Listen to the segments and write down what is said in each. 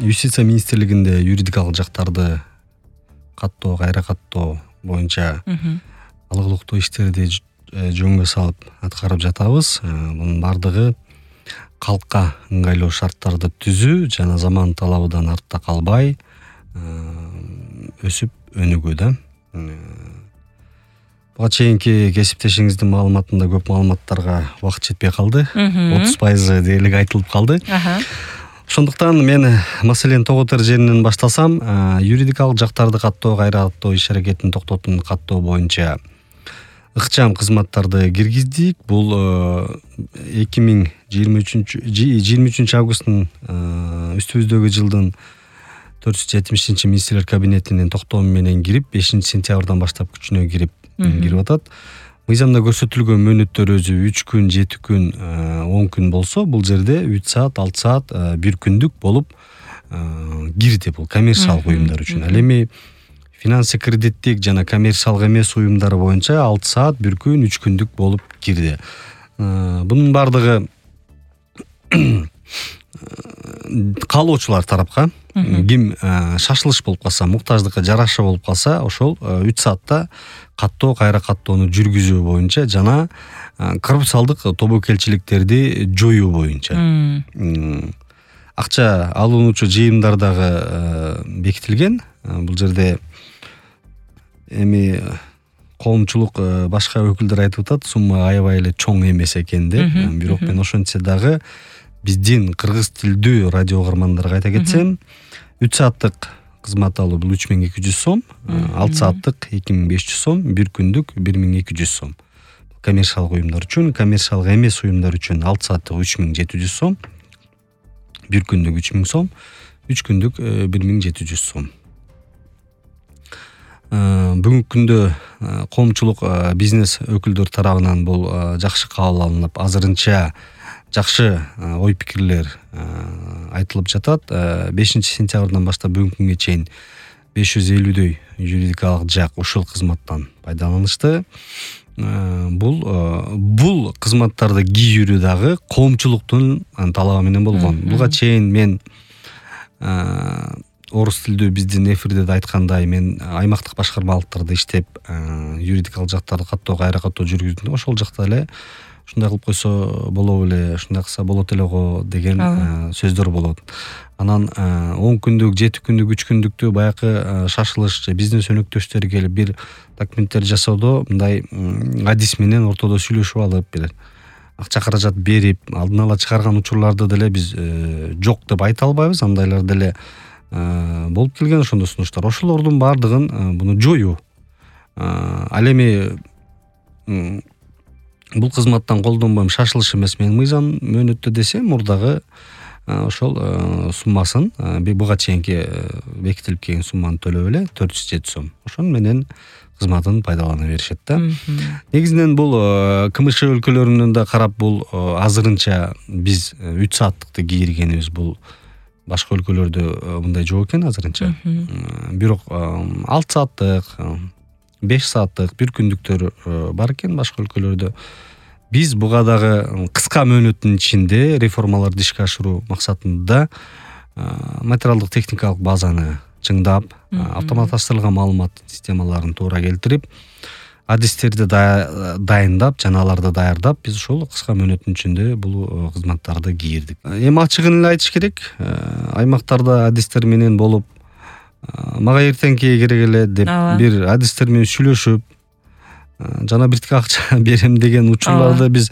Юстиция министрлигинде юридикалык жактарды каттоо, кайра каттоо боюнча алгылыктуу иштерди жөнгө салып аткарып жатабыз. Мунун бардыгы калкка ыңгайлуу шарттарды түзүү жана заман талабынан артта калбай өсүп өнүгүү да. Буга чейинки кесиптешиңиздин маалыматында көп маалыматтарга убакыт жетпей калды. 30% дээрлик айтылып калды. Ошондуктан мен маселени тоготор жеринен баштасам, юридикалык жактарды каттоо, кайра каттоо иш-аракетин токтотууну каттоо боюнча ыкчам кызматтарды киргиздик. Бул 23 августтун үстүбүздөгү жылдын 470 министрлер кабинетинин токтому менен кирип, 5 сентябрдан баштап күчүнө кирип атат. Мыйзамда көрсөтүлгөн мөөнөттөр өзү 3 күн, 7 күн, 10 күн болсо, бул жерде 3 саат, 6 саат, 1 күндүк болуп кирди. Бул коммерциялык уюмдар үчүн. Ал эми финансы кредиттик жана коммерциялык эмес уюмдар боюнча 6 саат, 1 күн, 3 күндүк болуп кирди. Бунун бардыгы каалоочулар тарапка ким шашылыш болуп калса, муктаждыкка жараша болуп калса, ошол 3 саатта каттоо, кайра каттоону жүргүзүү боюнча жана коррупциялдык тобокелчиликтерди жоюу боюнча. Акча алуунчу жыйымдар дагы бекитилген. Бул жерде эми коомчулук башка өкүлдөр айтып атат, сумма аябай эле чоң эмес экен деп. Бирок мен ошентсе дагы биздин кыргыз тилдүү радио угармандарга айта кетсем, 3 сааттык кызмат алуу бул 3200 сом, 6 сааттык 2500 сом, 1 күндүк 1200 сом. Коммерциялык уюмдар үчүн, коммерциялык эмес уюмдар үчүн 6 сааттык 3700 сом, 1 күндүк 3000 сом, 3 күндүк 1700 сом. Бүгүнкү күндө коомчулук бизнес өкүлдөр тарабынан бул жакшы кабыл алынып, азырынча жакшы ой пикирлер айтылып жатат. 5 сентябрдан баштап бүгүнкү күнгө чейин 550дөй юридикалык жак ушул кызматтан пайдаланышты. Бул кызматтарды кийүүрү дагы коомчулуктун талабы менен болгон. Буга чейин мен орус тилдүү биздин эфирде да айткандай, мен аймактык башкармалыктарда иштеп, юридикалык жактарды каттоо, кайра каттоо жүргүздүм. Ошол жакта эле ушундай кылып койсо болобу эле, ушундай кылса болот эле го деген сөздөр болот. Анан 10 күндүк, 7 күндүк, 3 күндүктү баягы шашылыш бизнес өнөктөштөр келип бир документтер жасоодо мындай адис менен ортодо сүйлөшүп алып, бир акча каражат берип, алдын ала чыгарган учурларды деле биз жок деп айта албайбыз. Андайлар деле болуп келген ошондой сунуштар. Ошолордун бардыгын буну жоюу. Ал эми бул кызматтан колдонбойм, шашылыш эмес, мен мыйзам мөөнөттө десем, мурдагы ошол суммасын, буга чейинки бекитилип келген сумманы төлөп эле 407 сом. Ошон менен кызматын пайдалана беришет да. Негизинен бул КМШ өлкөлөрүнөн да карап, бул азырынча биз 3 сааттыкты кийиргенибиз, бул башка өлкөлөрдө мындай жок экен азырынча. Бирок 6 сааттык, 5 сааттык, 1 күндүктөр бар экен башка өлкөлөрдө. Биз буга дагы кыска мөөнөттүн ичинде реформаларды ишке ашыруу максатында материалдык техникалык базаны чыңдап, автоматташтырылган маалымат системаларын туура келтирип, адистерди дайындап, жана аларды даярдап, биз ошол кыска мөөнөттүн ичинде бул кызматтарды кийирдик. Эми ачыгын эле айтыш керек, аймактарда адистер менен болуп, мага эртеңки керек эле деп бир адистер менен сүйлөшүп, жана биртике акча берем деген учурларды биз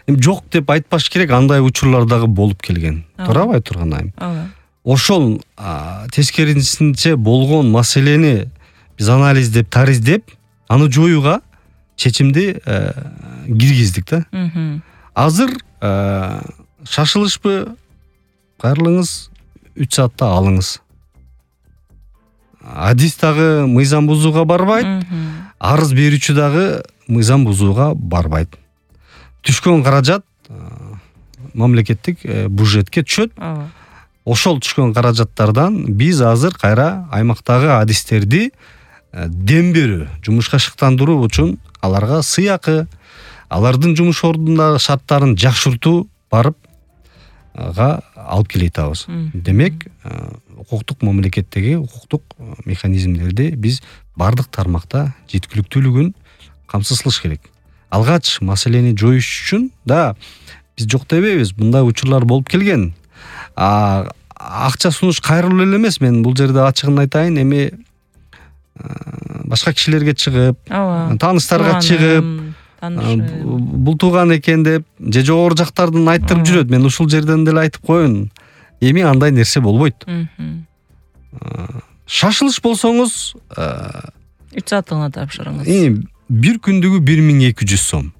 жок деп айтпаш керек, андай учурлар дагы болуп келген. Туурабы турган айым? Ошол тескерисинче болгон маселени биз анализдеп, тариздеп, аны жоюуга чечимди киргиздик да. Азыр шашылышпы, кайрылыңыз, 3 саатта алыңыз. Адис дагы мыйзам бузууга барбайт, арыз берүүчү дагы мыйзам бузууга барбайт. Түшкөн каражат мамлекеттик бюджетке түшөт. Ошол түшкөн каражаттардан биз азыр кайра аймактагы адистерди дем берүү, жумушка шыктандыруу үчүн аларга сыйакы, алардын жумуш ордундагы шарттарын жакшыртуу барып алып келе атабыз. Демек, укуктук мамлекеттеги укуктук механизмдерди биз бардык тармакта жеткиликтүүлүгүн камсыз кылыш керек. Алгач маселени жоюш үчүн да биз жок дебейбиз. Мындай учурлар болуп келген. Акча сунуш кайрылуу эле эмес. Мен бул жерде ачыгын айтайын, эми башка кишилерге чыгып, тааныштарга чыгып, бул тууган экен деп, же жогору жактардан айттырып жүрөт. Мен ушул жерден деле айтып коеюн. Эми андай нерсе болбойт. Шашылыш болсоңуз 3 сааттыгына тапшырыңыз. Бир күндүгү 1200 сом.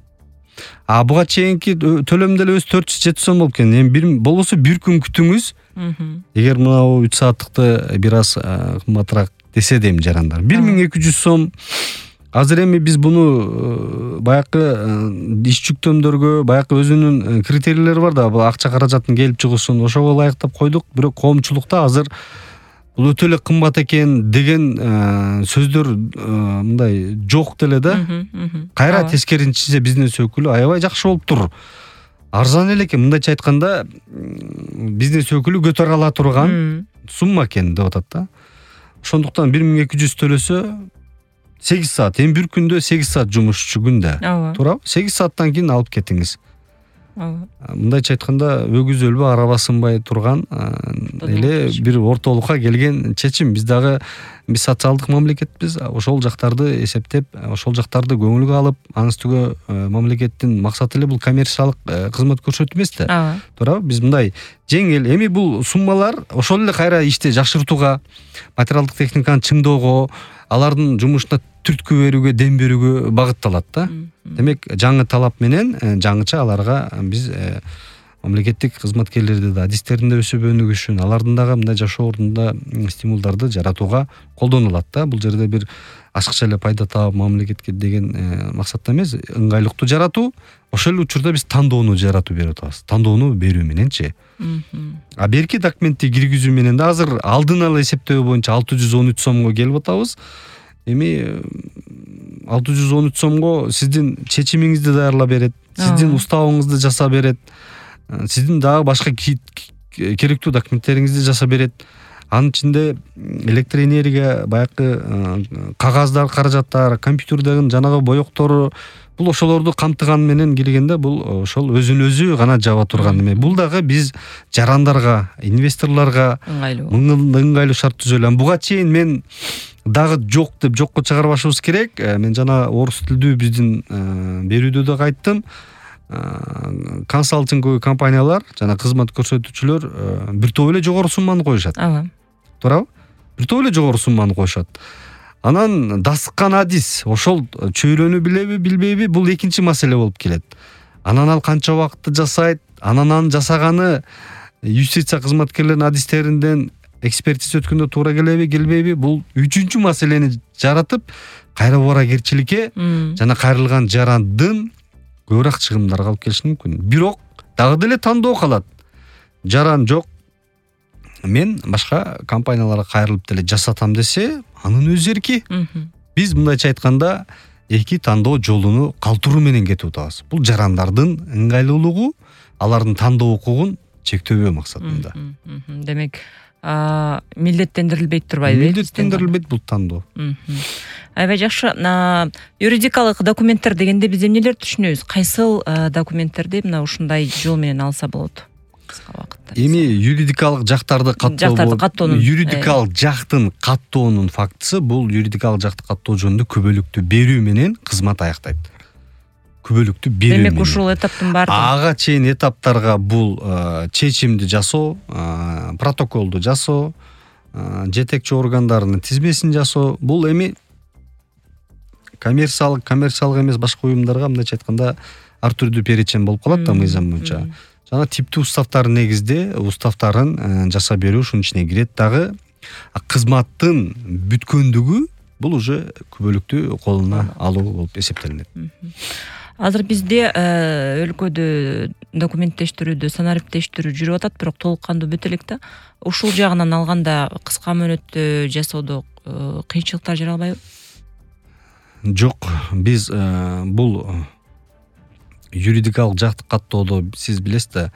Буга чейинки төлөм деле өзү 400-700 сом болуп кеткен. Эми болбосо бир күн күтүңүз. Эгер мына 3 сааттыкты бир аз кымбатыраак десе дейм жарандар. 1200 сом. Азыр эми биз буну баякы иш жүктөмдөргө, баякы өзүнүн критерийлери бар да, бул акча каражатын келип чыгышын ошого ылайыктап койдук. Бирок коомчулукта азыр бул өтө эле кымбат экен деген сөздөр мындай жок деле да. Кайра тескерисинче бизнес өкүлү аябай жакшы болуптур. Арзан эле экен, мындайча айтканда бизнес өкүлү көтөрө ала турган сумма экен деп атат да. Ошондуктан 1200 төлөсө 8 саат, эми бир күндө 8 саат жумушчу күндө. Туурабы? 8 сааттан кийин алып кетиңиз. Мындайча айтканда өгүз өлбө араба сынбай турган эле бир ортолукка келген чечим. Биз социалдык мамлекетпиз. Ошол жактарды эсептеп, ошол жактарды көңүлгө алып, анын үстүгө мамлекеттин максаты эле бул коммерциялык кызмат көрсөтүү эмес да. Туурабы? Биз мындай жеңил, эми бул суммалар ошол эле кайра ишти жакшыртууга, материалдык техниканы чыңдоого, алардын жумушуна түрткү берүүгө, дем берүүгө багытталат да. Демек, жаңы талап менен жаңыча аларга биз мамлекеттик кызматкерлерди да адистерин да өсүп өнүгүшүн, алардын дагы мындай жашоо ордунда стимулдарды жаратууга колдонулат да. Бул жерде бир ашыкча эле пайда таап мамлекетке деген максатта эмес, ыңгайлыктуу жаратуу. Ошол эле учурда биз тандоону жаратуу берип атабыз. Тандоону берүү мененчи. Берки документти киргизүү менен да азыр алдын ала эсептөө боюнча 613 сомго келип атабыз. Эми 613 сомго сиздин чечимиңизди даярлап берет, сиздин уставыңызды жасап берет, сиздин дагы башка керектүү документтериңизди жасап берет. Анын ичинде электроэнергия, баякы кагаздар, каражаттар, компьютердеги жанагы боектору, бул ошолорду камтыган менен келгенде бул ошол өзүн өзү гана жаба турган эме. Бул дагы биз жарандарга, инвесторлорго ыңгайлуу шарт түзөлгөн. Буга чейин мен дагы жок деп жокко чыгарбашыбыз керек. Мен жана орус тилдүү биздин берүүдө да айттым. Консалтинговый компаниялар жана кызмат көрсөтүүчүлөр бир топ эле жогору сумманы коюшат. Туурабы? Бир топ эле жогору сумманы коюшат. Анан дасыккан адис ошол чөйрөнү билеби, билбейби, бул экинчи маселе болуп келет. Анан ал канча убакытты жасайт, анан жасаганы юстиция кызматкерлеринин адистеринден экспертиза өткөндө туура келеби, келбейби, бул үчүнчү маселени жаратып, кайра убаракерчиликке жана кайрылган жарандын көбүрөөк чыгымдарга алып келиши мүмкүн. Бирок дагы деле тандоо калат. Жаран жок. Мен башка компанияларга кайрылып деле жасатам десе, анын өз эрки. Биз мындайча айтканда эки тандоо жолуну калтыруу менен кетип атабыз. Бул жарандардын ыңгайлуулугу, алардын тандоо укугун чектөбөө максатында. Демек, милдеттендирилбейт турбайбы? Милдеттендирилбейт бул тандоо. Аябай жакшы. Юридикалык документтер дегенде биз эмнелерди түшүнөбүз? Кайсыл документтерди мына ушундай жол менен алса болот? Кыска убакытта. Эми юридикалык жактарды каттоонун юридикалык жактын каттоонун фактысы бул юридикалык жакты каттоо жөнүндө күбөлүктү берүү менен кызмат аяктайт. Күбөлүктү берүү. Демек ушул этаптын баары ага чейин этаптарга бул чечимди жасоо, протоколду жасоо, жетекчи органдарынын тизмесин жасоо, бул эми коммерциялык эмес башка уюмдарга мындайча айтканда ар түрдүү перечен болуп калат да мыйзам боюнча. Жана типтүү уставтар негизде уставтарын жасап берүү ушунун ичине кирет. Дагы кызматтын бүткөндүгү бул уже күбөлүктү колуна алуу болуп эсептелинет. Азыр бизде өлкөдө документтештирүүдө, санариптештирүү жүрүп атат, бирок толук кандуу бүтө элек да. Ушул жагынан алганда кыска мөөнөттө жасоодо кыйынчылыктар жаралбайбы? Жок, биз бул юридикалык жакты каттоодо сиз билесиз да,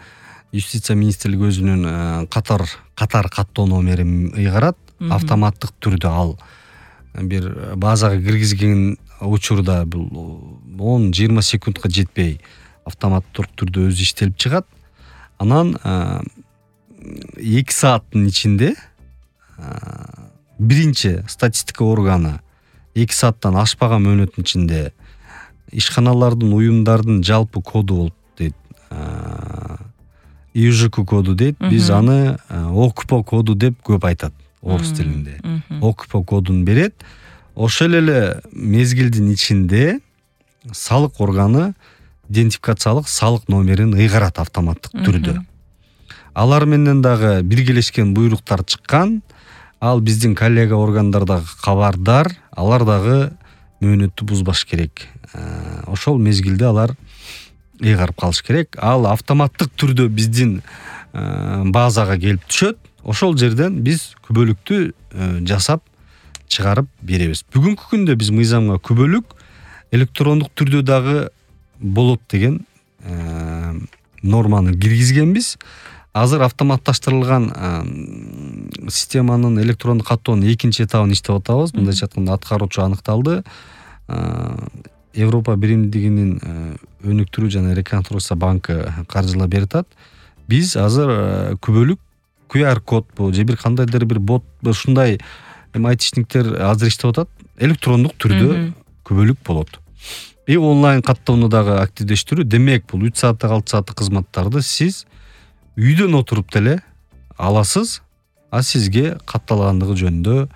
юстиция министрлиги өзүнүн катар каттоо номерин ыйгарат. Автоматтык түрдө ал бир базага киргизген учурда бул 10-20 секундка жетпей автоматтык түрдө өзү иштелип чыгат. Анан 2 сааттын ичинде биринчи статистика органы 2 сааттан ашпаган мөөнөттүн ичинде ишканалардын, уюмдардын жалпы коду болуп дейт. ИЖК коду дейт. Биз аны ОКПО коду деп көп айтат орус тилинде. ОКПО кодун берет. Ошол эле мезгилдин ичинде салык органы идентификациялык салык номерин ыйгарат автоматтык түрдө. Алар менен дагы биргелешкен буйруктар чыккан. Ал биздин коллега органдар дагы кабардар. Алар дагы мөөнөттү бузбаш керек. Ошол мезгилде алар ыйгарып калыш керек. Ал автоматтык түрдө биздин базага келип түшөт. Ошол жерден биз күбөлүктү жасап чыгарып беребиз. Бүгүнкү күндө биз мыйзамга күбөлүк электрондук түрдө дагы болот деген норманы киргизгенбиз. Азыр автоматташтырылган системанын электрондук каттоонун экинчи этабын иштеп атабыз. Мындайча айтканда аткаруучу аныкталды. Европа биримдигинин өнүктүрүү жана реконструкция банкы каржылап берет. Биз азыр күбөлүк QR код же бир кандайдыр бир бот ушундай айтишниктер азыр иштеп атат. Электрондук түрдө күбөлүк болот. Онлайн каттоону дагы активдештирүү. Демек, бул 3 сааттык 6 сааттык кызматтарды сиз үйдөн отуруп деле аласыз, а сизге катталгандыгы жөнүндө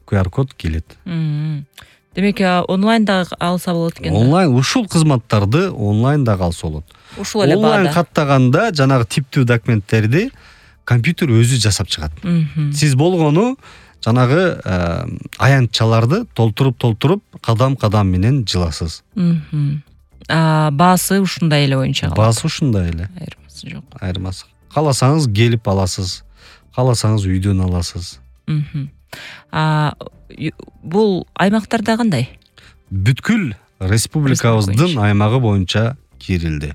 QR код келет. Демек, онлайн дагы алса болот экен. Онлайн ушул кызматтарды онлайн дагы алса болот. Ушул эле онлайн каттаганда жанагы типтүү документтерди компьютер өзү жасап чыгат. Сиз болгону жанагы аянтчаларды толтуруп кадам менен жыласыз. Баасы ушундай эле боюнча калат. Баасы ушундай эле. Айырмасы жок. Айырмасы. Кааласаңыз келип аласыз. Кааласаңыз үйдөн аласыз. Бул аймактарда кандай? Бүткүл республикабыздын аймагы боюнча кирилди.